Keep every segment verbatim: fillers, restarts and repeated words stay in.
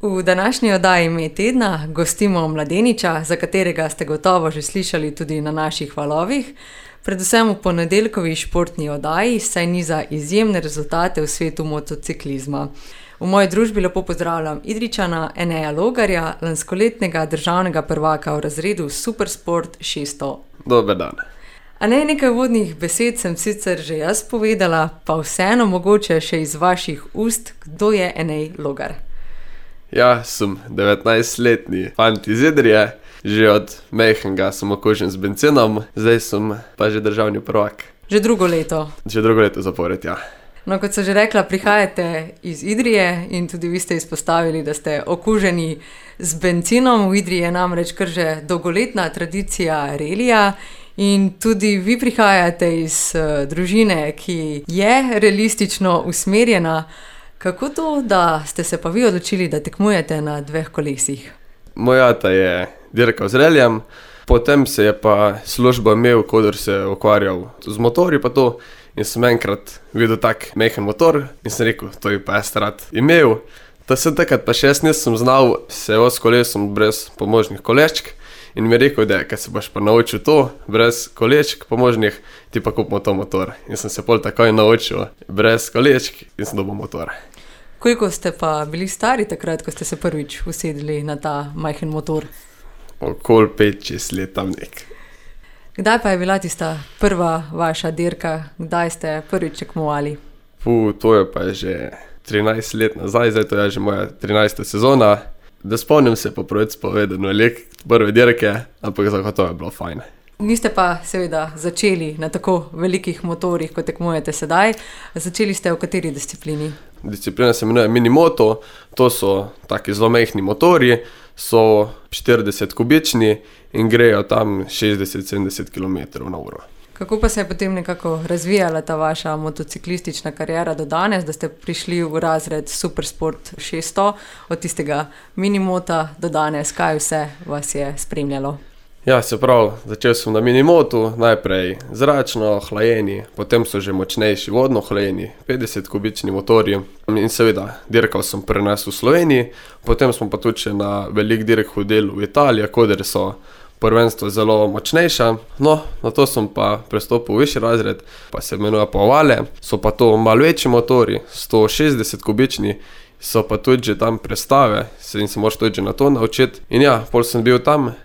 V današnji oddaji Ime tedna gostimo mladeniča, za katerega ste gotovo že slišali tudi na naših valovih, predvsem v ponedeljkovi športni oddaji, saj niza izjemne rezultate v svetu motociklizma. V moji družbi lepo pozdravljam Idrijčana Eneja Logarja, lanskoletnega državnega prvaka v razredu Supersport šeststo. Dober dan. A ne, nekaj vodnih besed sem sicer že jaz povedala, pa vseeno mogoče še iz vaših ust, kdo je Enej Logar? Ja, sem devetnajstletni fant iz Idrije, že od majhnega sem okužen z bencinom, zdaj sem pa že državni prvak. Že drugo leto? Že drugo leto zapored, ja. No, kot sem že rekla, prihajate iz Idrije in tudi vi ste izpostavili, da ste okuženi z bencinom. V Idriji je namreč kar že dolgoletna tradicija relija in tudi vi prihajate iz uh, družine, ki je realistično usmerjena. Kako to, da ste se pa vi odločili, da tekmujete na dveh kolesih? Moj ata je dirkal z reljem, potem se je pa službo imel, kodor se je ukvarjal z motorji pa to, in sem enkrat videl tak majhen motor in sem rekel, to je pa jaz rad imel. Ta sem takrat pa še jaz nisem znal se s kolesom brez pomožnih kolečk in mi je rekel, da kad se boš pa naučil to, brez kolečk pomožnih, ti pa kupimo to motor. In sem se pol takoj naučil brez kolečk in sem dobil motor. Koliko ste pa bili stari takrat, ko ste se prvič usedli na ta majhen motor? Okoli pet, šest let tam nek. Kdaj pa je bila tista prva vaša dirka? Kdaj ste prvič tekmovali? Puh, to je pa že trinajst let nazaj, zdaj to je že moja trinajsta sezona. Da spomnim se po pravici povedano lek prve dirke, ampak zagotovo je bilo fajn. Niste pa seveda začeli na tako velikih motorjih, kot tekmujete sedaj. Začeli ste v kateri disciplini? Disciplina se imenuje minimoto, to so taki zelo majhni motorji, so štirideset kubični in grejo tam šestdeset do sedemdeset kilometrov na uro. Kako pa se je potem nekako razvijala ta vaša motociklistična kariera do danes, da ste prišli v razred Supersport šeststo, od tistega minimota do danes, kaj vse vas je spremljalo? Ja, se pravi, začel sem na minimotu, najprej zračno, hlajeni, potem so že močnejši vodno hlajeni, petdeset kubični motorji in seveda dirkal sem pri nas v Sloveniji, potem smo pa tudi še na velik dirk hodili v Italiji, kodere so prvenstvo zelo močnejša. No, na to sem pa prestopil v višji razred, pa se imenuje Povale, so pa to malo večji motorji, sto šestdeset kubični, so pa tudi že tam prestave, in se moraš tudi že na to naučiti. In ja, pol sem bil tam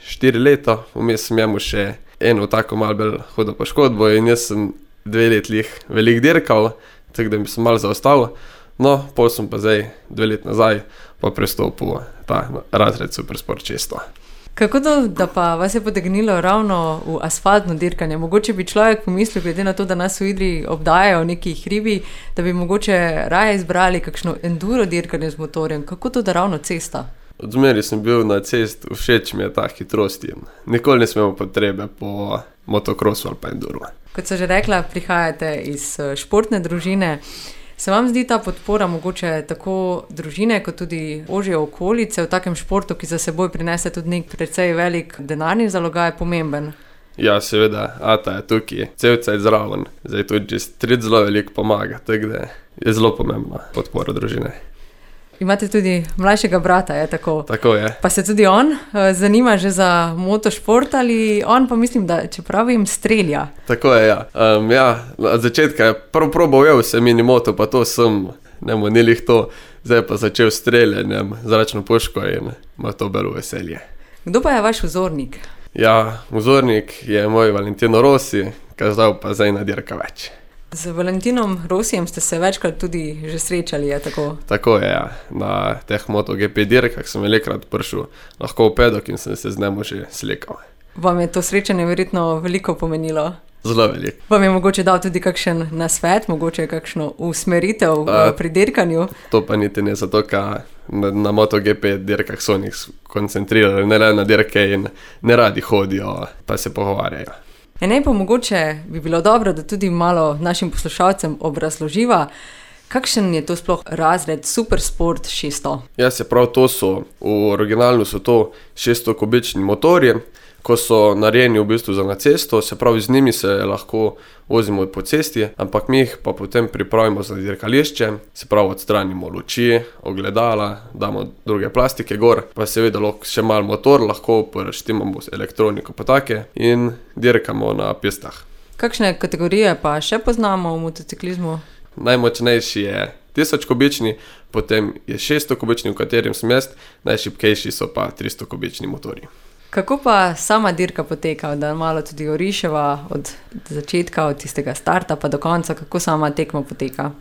štiri leta, vmes sem jemu še eno tako malo bolj hudo poškodbo in jaz sem dve let lih velik dirkal, tako da mi sem malo zaostal. No, pol sem pa zdaj dve let nazaj pa prestopil ta razred Supersport šeststo. Kako to, da pa vas je potegnilo ravno v asfaltno dirkanje? Mogoče bi človek pomislil, glede na to, da nas v Idriji obdajajo neki hribi, da bi mogoče raje izbrali kakšno enduro dirkanje z motorjem. Kako to, da ravno cesta? Odmeri sem bil na cest, všeč mi je ta hitrost in nikoli ne smemo potrebe po motokrosu ali pa enduro. Kot sem že rekla, prihajate iz športne družine. Se vam zdi ta podpora mogoče tako družine, kot tudi ožje okolice v takem športu, ki za seboj prinese tudi nek precej velik denarni zalogaj, pomemben? Ja, seveda, ata je tukaj, cel cajt zraven, zdaj tudi že stric zelo veliko pomaga, tako da je zelo pomembna podpora družine. Imate tudi mlajšega brata, je tako? Tako je. Pa se tudi on uh, zanima že za motošport ali on pa mislim, da čeprav jim strelja? Tako je, ja. Um, ja, od začetka je prv probal je vse minimoto, pa to sem, nemo ni lih to, zdaj pa začel streljanjem zračno puško in ima to belo veselje. Kdo pa je vaš vzornik? Ja, vzornik je moj Valentino Rossi, kazal pa zdaj na dirka več. Z Valentinom Rossijem ste se večkrat tudi že srečali, je tako? Tako je, ja. Na teh MotoGP dirkah sem velikrat prišel lahko v pedok in sem se z njemu že slikal. Vam je to srečanje verjetno veliko pomenilo? Zelo veliko. Vam je mogoče dal tudi kakšen nasvet, mogoče kakšno usmeritev A, pri dirkanju? To pa niti ne, zato ker na, na MotoGP dirkah so njih koncentrirali, ne le na dirke in ne radi hodijo, pa se pogovarjajo. Enej pa mogoče bi bilo dobro, da tudi malo našim poslušalcem obrazloživa, kakšen je to sploh razred Supersport šeststo? Ja, se prav, to so, v originalu so to šeststo kubični motorji, ko so narejeni v bistvu za na cesto, se pravi z njimi se lahko vozimo po cesti, ampak mi jih pa potem pripravimo za dirkališče, se pravi odstranimo luči, ogledala, damo druge plastike gor, pa seveda lahko še malo motor, lahko preštimamo elektroniko pa take in dirkamo na pistah. Kakšne kategorije pa še poznamo v motociklizmu? Najmočnejši je tisoč kubični, potem je šeststo kubični, v katerem sem jaz, najšibkejši so pa tristo kubični motorji. Kako pa sama dirka poteka, da malo tudi oriševa od začetka, od tistega starta pa do konca, kako sama tekma poteka?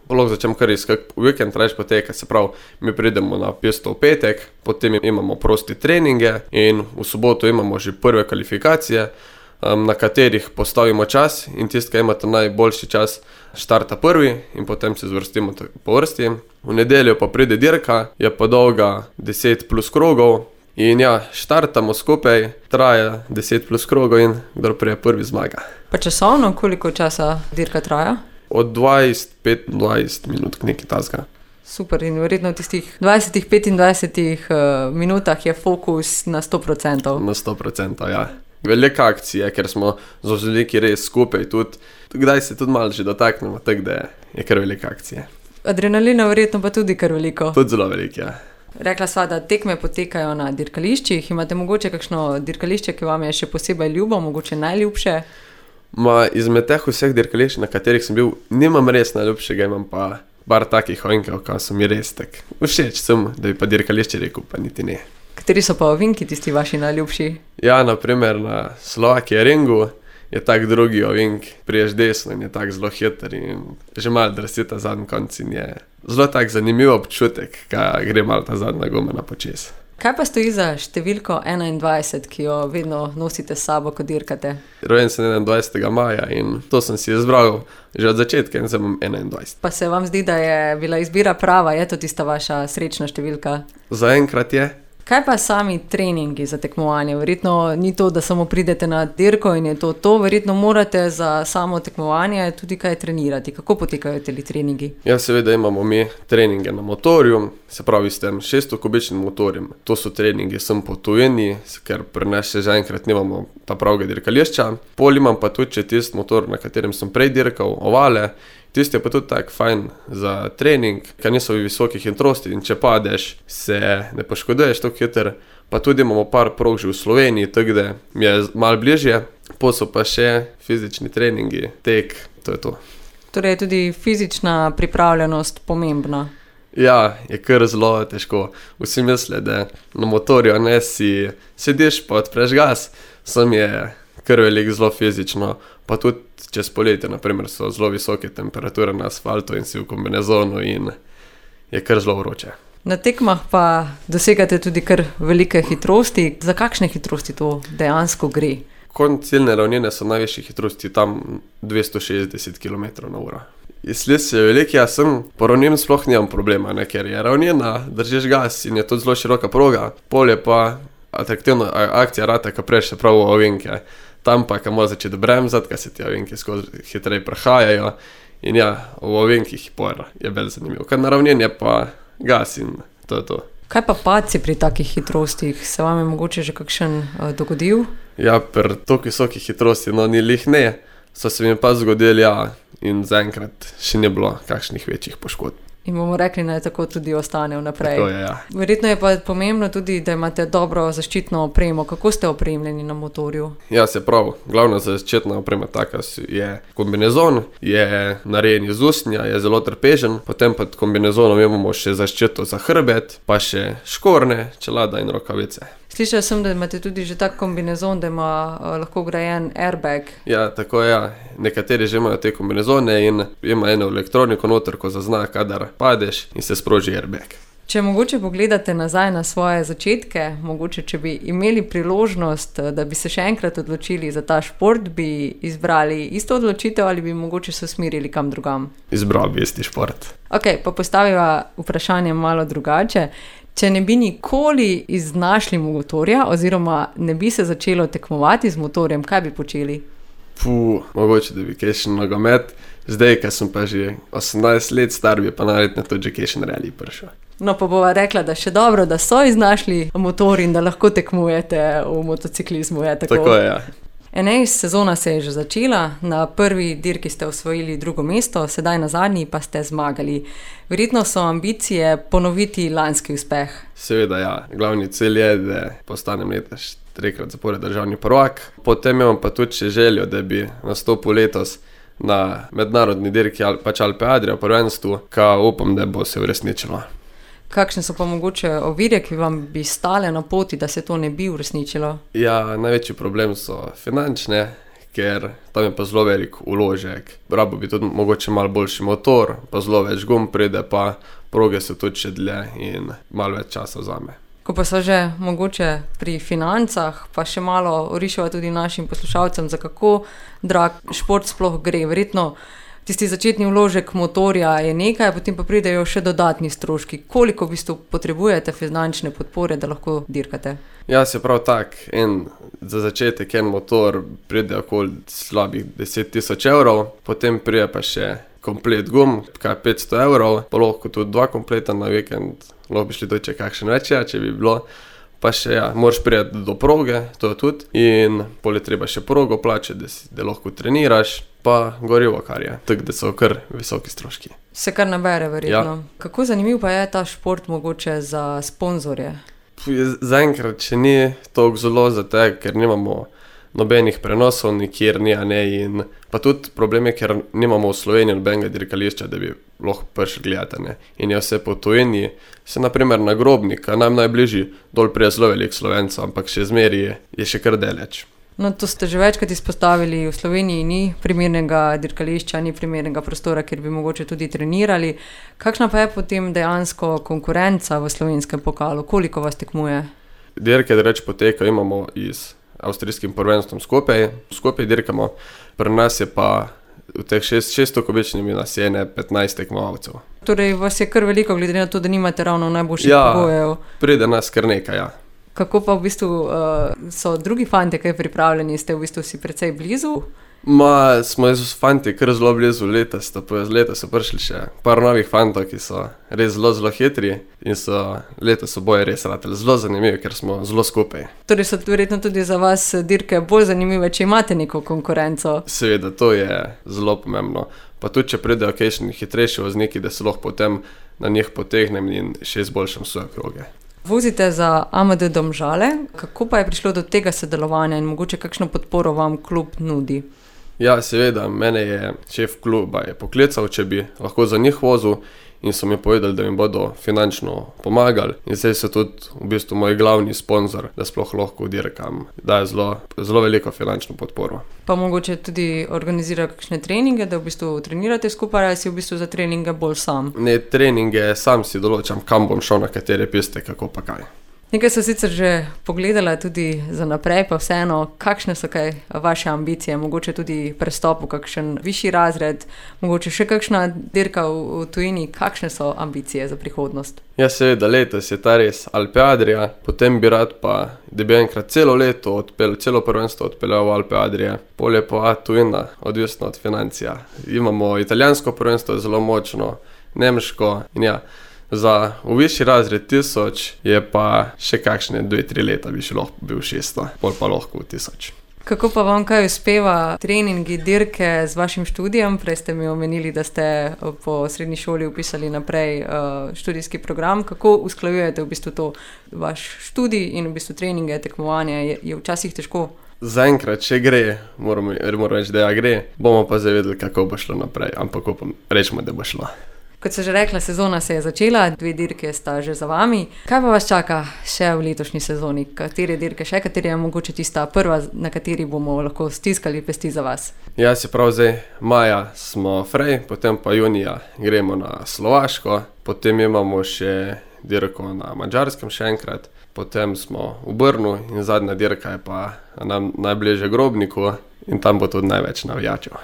Lahko začnem kar iz kak vikend reč poteka, se pravi, mi pridemo na pisto v petek, potem imamo prosti treninge in v soboto imamo že prve kvalifikacije, na katerih postavimo čas in tisti, ki imate najboljši čas, štarta prvi in potem se zvrstimo po vrsti. V nedeljo pa pride dirka, je pa dolga deset plus krogov in ja, štartamo skupaj, traja deset plus krogov in kdor prije prvi zmaga. Pa časovno, koliko časa dirka traja? Od dvajset do petindvajset minut, nekaj tasga. Super, in verjetno v tistih dvajsetih, petindvajsetih uh, minutah je fokus na sto procentov. Na sto procentov, ja. Velika akcija, ker smo z veliki res skupaj tudi, kdaj se tudi malo že dotaknemo, tako da je kar velika akcija. Adrenalina verjetno pa tudi kar veliko. Tudi zelo veliko, ja. Rekla sva, da tekme potekajo na dirkališčih, imate mogoče kakšno dirkališče, ki vam je še posebej ljubo, mogoče najljubše? Ma, izmed teh vseh dirkališč, na katerih sem bil, nimam res najljubšega, imam pa bar takih ovinkov, ko so mi res tak všeč sem, da bi pa dirkališče rekel, pa niti ne. Kateri so pa ovinki tisti vaši najljubši? Ja, na primer na Slovakije ringu je tak drugi ovink, priješ desno in je tak zelo hiter in že malo drsi ta zadnji konc in je zelo tak zanimiv občutek, kaj gre malo ta zadnja guma na počes. Kaj pa stoji za številko enaindvajset, ki jo vedno nosite s sabo, ko dirkate? Rojen sem enaindvajsetega maja in to sem si izbral že od začetka in sem enaindvajset. Pa se vam zdi, da je bila izbira prava, je to tista vaša srečna številka? Zaenkrat je. Kaj pa sami treningi za tekmovanje? Verjetno ni to, da samo pridete na dirko in je to to, verjetno morate za samo tekmovanje tudi kaj trenirati. Kako potekajo teli treningi? Ja, seveda imamo mi treninge na motorju, se pravi s tem šeststo kubičnim motorjem. To so treningi sem po tujini, ker pri nas še zaenkrat nimamo ta pravega dirkališča. Pol imam pa tudi še tisti motor, na katerem sem prej dirkal, ovale. Tisti je pa tudi tak fajn za trening, ker niso v visokih hitrosti in če padeš, se ne poškoduješ tako hiter. Pa tudi imamo par prog že v Sloveniji, tako da mi je malo bližje. Po so pa še fizični treningi, tek, to je to. Torej je tudi fizična pripravljenost pomembna? Ja, je kar zelo težko. Vsi misle, da na motorju ne si sediš pa odpreš gas, sam je kar veliko zelo fizično, pa tudi čez poletje, na primer, so zelo visoke temperature na asfaltu in si v kombinezonu in je kar zelo vroče. Na tekmah pa dosegate tudi kar velike hitrosti. Za kakšne hitrosti to dejansko gre? Konc ciljne ravnine so najvišje hitrosti tam dvesto šestdeset kilometrov na uro. Sled se je velik, jaz sem, po ravnini sploh nimam problema, ne, ker je ravnina, držiš gas in je to zelo široka proga, pol je pa atraktivna akcija rata, ko preš se prav v ovinke. Tam pa, ko moraš začeti bremzati, ko se ti ovinki skozi hitreje prehajajo in ja, v ovinkih je bolj zanimivo. Kad na ravnini je pa gas in to je to. Kaj pa padci pri takih hitrostih? Se vam je mogoče že kakšen uh, dogodil? Ja, pri toliko visokih hitrosti, no ni lih ne, so se mi pa zgodili, ja, in zaenkrat še ni bilo kakšnih večjih poškodb. In bomo rekli, naj tako tudi ostane vnaprej. Tako je, ja. Verjetno je pa pomembno tudi, da imate dobro zaščitno opremo. Kako ste opremljeni na motorju? Ja, se prav, glavna zaščitna oprema taka je kombinezon, je narejen iz usnja, je zelo trpežen, potem pod kombinezonom imamo še zaščito za hrbet, pa še škorne, čelada in rokavice. Slišala sem, da imate tudi že tak kombinezon, da ima uh, lahko vgrajen airbag. Ja, tako je, ja. Nekateri že imajo te kombinezone in ima eno elektroniko noter, ko zazna, kadar padeš in se sproži airbag. Če mogoče pogledate nazaj na svoje začetke, mogoče če bi imeli priložnost, da bi se še enkrat odločili za ta šport, bi izbrali isto odločitev ali bi mogoče se usmerili kam drugam? Izbral bi isti šport. Ok, pa postaviva vprašanje malo drugače. Če ne bi nikoli iznašli motorja oziroma ne bi se začelo tekmovati z motorjem, kaj bi počeli? Puh, mogoče da bi kakšen nogomet. Zdaj, ko sem pa že osemnajst let star, bi pa najverjetneje tudi že kakšen rally prišel. No, pa bova rekla, da še dobro, da so iznašli motor in da lahko tekmujete v motociklizmu. Je tako? Tako je, ja. enajsta sezona se je že začela, na prvi dirki ste osvojili drugo mesto, sedaj na zadnji pa ste zmagali. Verjetno so ambicije ponoviti lanski uspeh. Seveda, ja. Glavni cilj je, da postanem letos trikrat zapored državni prvak. Potem imam pa tudi še željo, da bi nastopil letos na mednarodni dirki pač Alpe Adria prvenstvu, ka upam, da bo se uresničilo. Kakšne so pa mogoče ovire, ki vam bi stale na poti, da se to ne bi uresničilo? Ja, največji problem so finančne, ker tam je pa zelo velik vložek. Rabo bi tudi mogoče malo boljši motor, pa zelo več gum pride, pa proge so tudi še dlje in malo več časa vzame. Ko pa so že mogoče pri financah, pa še malo orišava tudi našim poslušalcem, za kako drag šport sploh gre. Verjetno tisti začetni vložek motorja je nekaj, potem pa pridejo še dodatni stroški. Koliko v bistvu potrebujete finančne podpore, da lahko dirkate? Ja, se prav tak, en, za začetek en motor pride okoli slabih deset tisoč evrov, potem pride pa še komplet gum, kaj petsto evrov, pa lahko tudi dva kompleta na vikend, lahko bi šli tudi če kakšen več, ja, če bi bilo. Pa še, ja, moraš priti do proge, to je tudi, in pol je treba še progo plačati, da, si, da lahko treniraš, pa gorivo, kar je, tako da so kar visoki stroški. Se kar nabere, verjetno. Ja. Kako zanimiv pa je ta šport mogoče za sponzorje? Zaenkrat še ni toliko zelo za te, ker nimamo nobenih prenosov nikjer, ni, a ne, in pa tudi problem je, ker nimamo v Sloveniji nobenega dirkališča, da bi lahko prišli gledati, ne. In je vse po tujini, se naprimer na Grobnika, nam najbližji, dol prije zelo veliko Slovencev, ampak še zmeri je, je še kar daleč. No, to ste že večkrat izpostavili, v Sloveniji ni primernega dirkališča, ni primernega prostora, kjer bi mogoče tudi trenirali. Kakšna pa je potem dejansko konkurenca v slovenskem pokalu? Koliko vas tekmuje? Dirke, da reč poteka, imamo iz avstrijskim prvenstvom skupaj, skupaj dirkamo, pri nas je pa v teh šeststo kubičnimi nas je ne petnajst tekmovalcev. Torej vas je kar veliko, glede na to, da nimate ravno najboljših ja, pogojev. Pride nas kar nekaj, ja. Kako pa v bistvu uh, so drugi fantje kaj pripravljeni, ste v bistvu si precej blizu? Ma, smo z fanti kar zelo blizu, leta, sta, leta so prišli še par novih fantov, ki so res zelo, zelo hitri in so, leta so boje res rateli zelo zanimivi, ker smo zelo skupaj. Torej so verjetno tudi za vas dirke bolj zanimive, če imate neko konkurenco? Seveda, to je zelo pomembno. Pa tudi, če pridejo kakšni hitrejši vozniki, da se lahko potem na njih potegnem in še izboljšam svoje kroge. Vozite za A M D Domžale, kako pa je prišlo do tega sodelovanja in mogoče kakšno podporo vam klub nudi? Ja, seveda, mene je šef kluba je poklical, če bi lahko za njih vozil in so mi povedali, da mi bodo finančno pomagali in zdaj so tudi v bistvu moj glavni sponzor, da sploh lahko dirkam, daje zelo, zelo veliko finančno podporo. Pa mogoče tudi organizira kakšne treninge, da v bistvu trenirate skupaj ali si v bistvu za treninge bolj sam? Ne, treninge sam si določam, kam bom šel, na katere piste, kako pa kaj. Nekaj so sicer že pogledala tudi za naprej, pa vseeno, kakšne so kaj vaše ambicije, mogoče tudi prestop v kakšen višji razred, mogoče še kakšna dirka v, v tujini, kakšne so ambicije za prihodnost? Ja, seveda, letos je ta res Alpe Adria, potem bi rad pa, da bi enkrat celo leto odpel, celo prvenstvo odpeljal v Alpe Adria, pol je pa tujina, odvisno od financija. Imamo italijansko prvenstvo, zelo močno, nemško in ja, za v višji razred tisoč je pa še kakšne dve, tri leta bi še lahko bil šeststo, pol pa lahko v tisoč. Kako pa vam kaj uspeva treningi, dirke z vašim študijem? Prej ste mi omenili, da ste po srednji šoli upisali naprej uh, študijski program. Kako usklajujete v bistvu to vaš študij in v bistvu treninge, tekmovanje? Je, je včasih težko? Zaenkrat, če gre, moramo, moramo reči, da ja gre, bomo pa zavedeli, kako bo šlo naprej, ampak upam, rečemo, da bo šlo. Kot se že rekla, sezona se je začela, dve dirke sta že za vami. Kaj pa vas čaka še v letošnji sezoni? Katere dirke še, kateri je mogoče tista prva, na kateri bomo lahko stiskali pesti za vas? Ja, se prav zdaj, maja smo frej, potem pa junija gremo na Slovaško, potem imamo še dirko na Madžarskem še enkrat, potem smo v Brnu in zadnja dirka je pa nam najbližje Grobniku in tam bo tudi največ navijačev.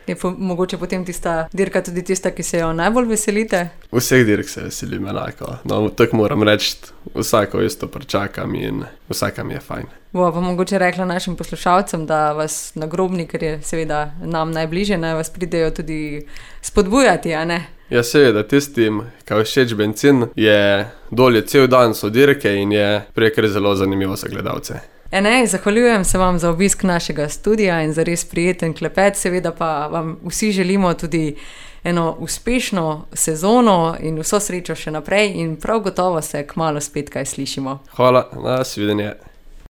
Je po, mogoče potem tista dirka tudi tista, ki se jo najbolj veselite? Vseh dirk se veselim enako, no tako moram reči, vsako isto pričakam in vsakam je fajn. Bova pa mogoče rekla našim poslušalcem, da vas na Grobni, ker je seveda nam najbližje, naj vas pridejo tudi spodbujati, a ne? Ja, seveda, tistim, ki všeč bencin, je dolje cel dan so dirke in je prej zelo zanimivo za gledalce. Ene, zahvaljujem se vam za obisk našega studia in za res prijeten klepet, seveda pa vam vsi želimo tudi eno uspešno sezono in vso srečo še naprej in prav gotovo se kmalu spet kaj slišimo. Hvala, nasvidenje.